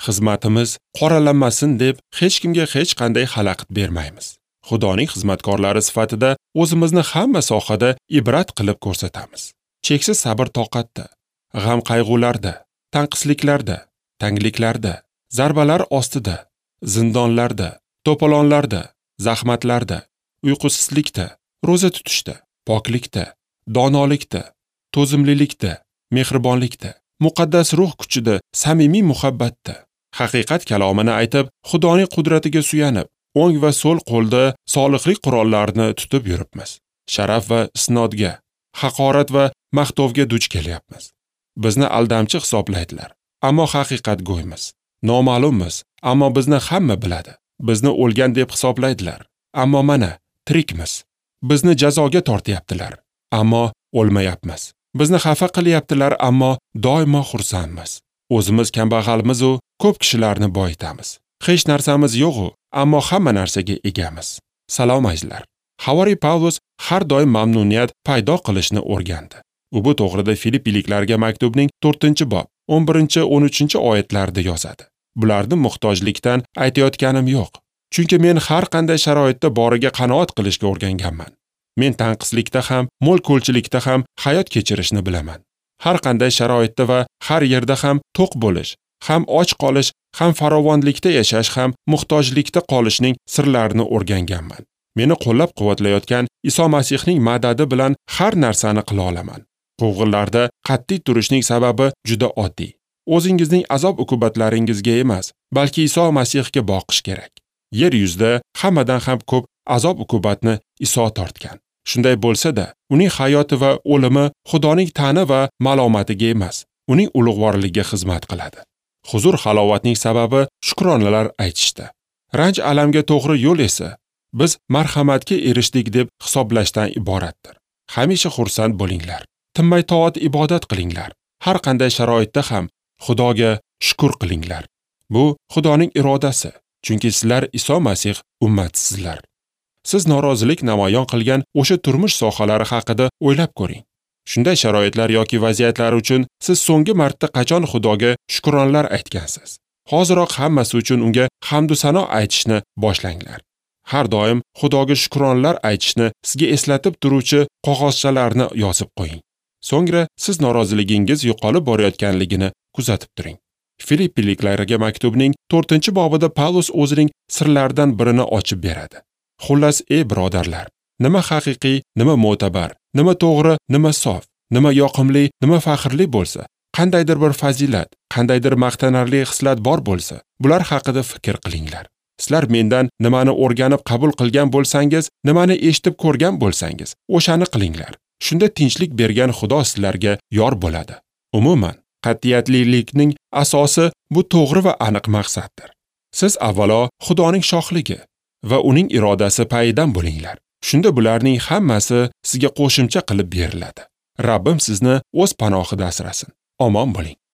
Xizmatimiz qoralanmasin deb hech kimga hech qanday xalaqit bermaymiz. Xudoning xizmatkorlari sifatida o'zimizni hamma sohada ibrat qilib ko'rsatamiz. Cheksiz sabr-toqatda, g'am-qayg'ularda, tanqisliklarda, tangliklarda, zarbalar ostida, zindonlarda, to'polonlarda, zahmatlarda, uyqusizlikda, ro'za tutishda, poklikda, donolikda, to'zimlilikda, mehribonlikda, muqaddas ruh kuchida, samimiy muhabbatda, haqiqat kalomini aytib, Xudoning qudratiga suyanib, o'ng va so'l qo'lda solihlik qurollarini tutib yuribmiz. Sharaf va isnodga, haqorat va maqtovga duch kelyapmiz. Bizni aldamchi hisoblaydilar, ammo haqiqatgo'ymiz. Noma'lummiz, ammo bizni hamma biladi. Bizni o'lgan deb hisoblaydilar, ammo mana tirikmiz. Bizni jazoga tortyaptilar, ammo o'lmayapmiz. Bizni xafa qilyaptilar, ammo doimo xursandmiz. O'zimiz kambag'almiz u ko'p kishilarni boyitamiz. Hech narsamiz yo'q-u, ammo hamma narsaga egamiz. Salom azizlar. Havoriy Pavlus har doim mamnuniyat paydo qilishni o'rgandi. U bu to'g'rida Filippiliklarga maktubning 4-bob 11-13 oyatlarida yozadi. Bularni muhtojlikdan aytayotganim yo'q. Chunki men har qanday sharoitda boriga qanoat qilishga o'rganganman. Men tanqislikda ham, mo'l-ko'lchilikda ham hayot kechirishni bilaman. Har qanday sharoitda va har yerda ham to'q bo'lish, ham och qolish, ham farovonlikda yashash, ham muhtojlikda qolishning sirlarini o'rganganman. Meni qo'llab-quvvatlayotgan Iso Masihning madadi bilan har narsani qila olaman. Quvg'inlarda qat'iy turishning sababi juda oddiy. O'zingizning azob-uqubatlaringizga emas, balki Iso Masihga boqish kerak. Yer yuzida hammadan ham ko'p azob-uqubatni Iso tortgan. Shunday bo'lsa-da, uning hayoti va o'limi Xudoning ta'ni va malomatiga emas, uning ulug'vorligiga xizmat qiladi. Huzur halovatning sababi shukronalar aytishda. Ranj alamga to'g'ri yo'l esa biz marhamatga erishdik deb hisoblashdan iboratdir. Hamisha xursand bo'linglar. Tinmay toat ibodat qilinglar. Har qanday sharoitda ham Xudoga shukr qilinglar. Bu Xudoning irodasi, chunki sizlar Iso Masih ummatisizlar. Siz norozilik namoyon qilgan o'sha turmush sohalari haqida o'ylab ko'ring. Shunday sharoitlar yoki vaziyatlar uchun siz so'nggi marta qachon Xudoga shukronlar aytgansiz? Hoziroq hammasi uchun unga hamd va sano aytishni boshlanglar. Har doim Xudoga shukronlar aytishni sizga eslatib turuvchi qog'ozchalarni yozib qo'ying. So'ngra siz noroziligingiz yo'qolib borayotganligini kuzatib turing. Filippiliklarga maktubning 4-bobida Pavlus o'zining sirlaridan birini ochib beradi. Xullas, ey birodarlar, nima haqiqiy, nima mo'tabar, nima to'g'ri, nima sof, nima yoqimli, nima faxrli bo'lsa, qandaydir bir fazilat, qandaydir maqtanarli xislat bor bo'lsa, bular haqida fikr qilinglar. Sizlar mendan nimani o'rganib qabul qilgan bo'lsangiz, nimani eshitib ko'rgan bo'lsangiz, o'shani qilinglar. Shunda tinchlik bergan Xudo sizlarga yor bo'ladi. Umuman, qat'iyatlilikning asosi bu to'g'ri va aniq maqsaddir. Siz avvalo Xudoning shohligi va uning irodasi payidan bo'linglar. Shunda bularning hammasi sizga qo'shimcha qilib beriladi. Rabbim sizni o'z panohida asrasin. Omon bo'ling.